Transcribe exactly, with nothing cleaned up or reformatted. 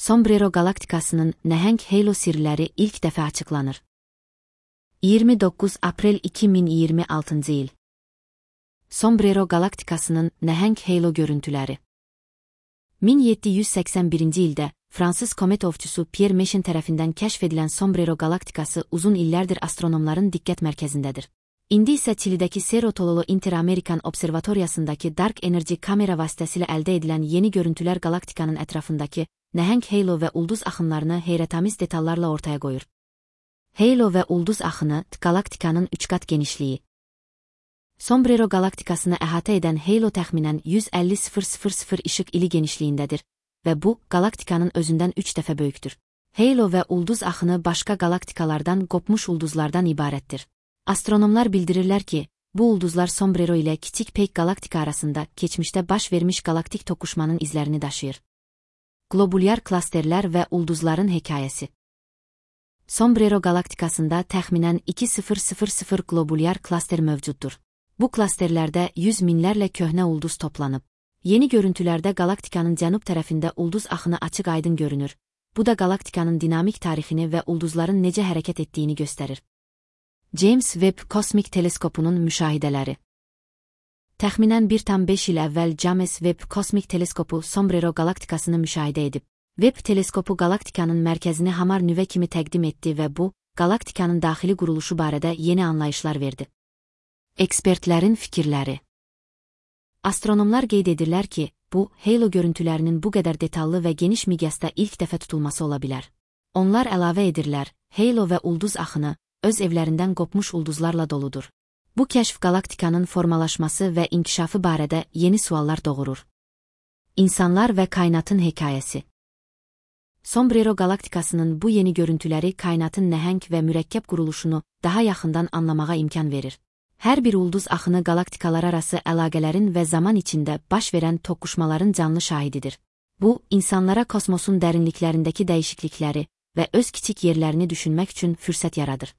Sombrero galaktikasının nəhəng halo sirləri ilk dəfə açıqlanır. iyirmi doqquz aprel iki min iyirmi altıncı il. Sombrero galaktikasının nəhəng halo görüntüləri. min yeddi yüz səksən birinci ildə Fransız komet ovçusu Pierre Méchain tərəfindən kəşf edilən Sombrero galaktikası uzun illərdir astronomların diqqət mərkəzindədir. İndi isə Çilidəki Cerro Tololo Inter-Amerikan Observatoriyasındakı Dark Energy kamera vasitəsilə əldə edilən yeni görüntülər galaktikanın ətrafındakı nəhəng halo və ulduz axınlarını heyrətamiz detallarla ortaya qoyur. Halo və ulduz axını galaktikanın üç qat genişliyi. Sombrero galaktikasını əhatə edən halo təxminən yüz əlli min işıq ili genişliyindədir və bu, galaktikanın özündən üç dəfə böyükdür. Halo və ulduz axını başqa galaktikalardan qopmuş ulduzlardan ibarətdir. Astronomlar bildirirlər ki, bu ulduzlar Sombrero ilə kiçik Peyk galaktika arasında keçmişdə baş vermiş galaktik toqquşmanın izlərini daşıyır. Globulyar klasterlər və ulduzların hekayəsi. Sombrero galaktikasında təxminən iki min globulyar klaster mövcuddur. Bu klasterlərdə yüz minlərlə köhnə ulduz toplanıb. Yeni görüntülərdə galaktikanın cənub tərəfində ulduz axını açıq aydın görünür. Bu da galaktikanın dinamik tarixini və ulduzların necə hərəkət etdiyini göstərir. James Webb Kosmik Teleskopunun müşahidələri. Təxminən bir tam beş il əvvəl James Webb Kosmik Teleskopu Sombrero galaktikasını müşahidə edib. Webb teleskopu galaktikanın mərkəzini hamar nüvə kimi təqdim etdi və bu, galaktikanın daxili quruluşu barədə yeni anlayışlar verdi. Ekspertlərin fikirləri. Astronomlar qeyd edirlər ki, bu, halo görüntülərinin bu qədər detallı və geniş miqyasda ilk dəfə tutulması ola bilər. Onlar əlavə edirlər, halo və ulduz axını, öz evlərindən qopmuş ulduzlarla doludur. Bu kəşf galaktikanın formalaşması və inkişafı barədə yeni suallar doğurur. İnsanlar və kainatın hekayəsi. Sombrero galaktikasının bu yeni görüntüləri kainatın nəhəng və mürəkkəb quruluşunu daha yaxından anlamağa imkan verir. Hər bir ulduz axını galaktikalar arası əlaqələrin və zaman içində baş verən toqquşmaların canlı şahididir. Bu, insanlara kosmosun dərinliklərindəki dəyişiklikləri və öz kiçik yerlərini düşünmək üçün fürsət yaradır.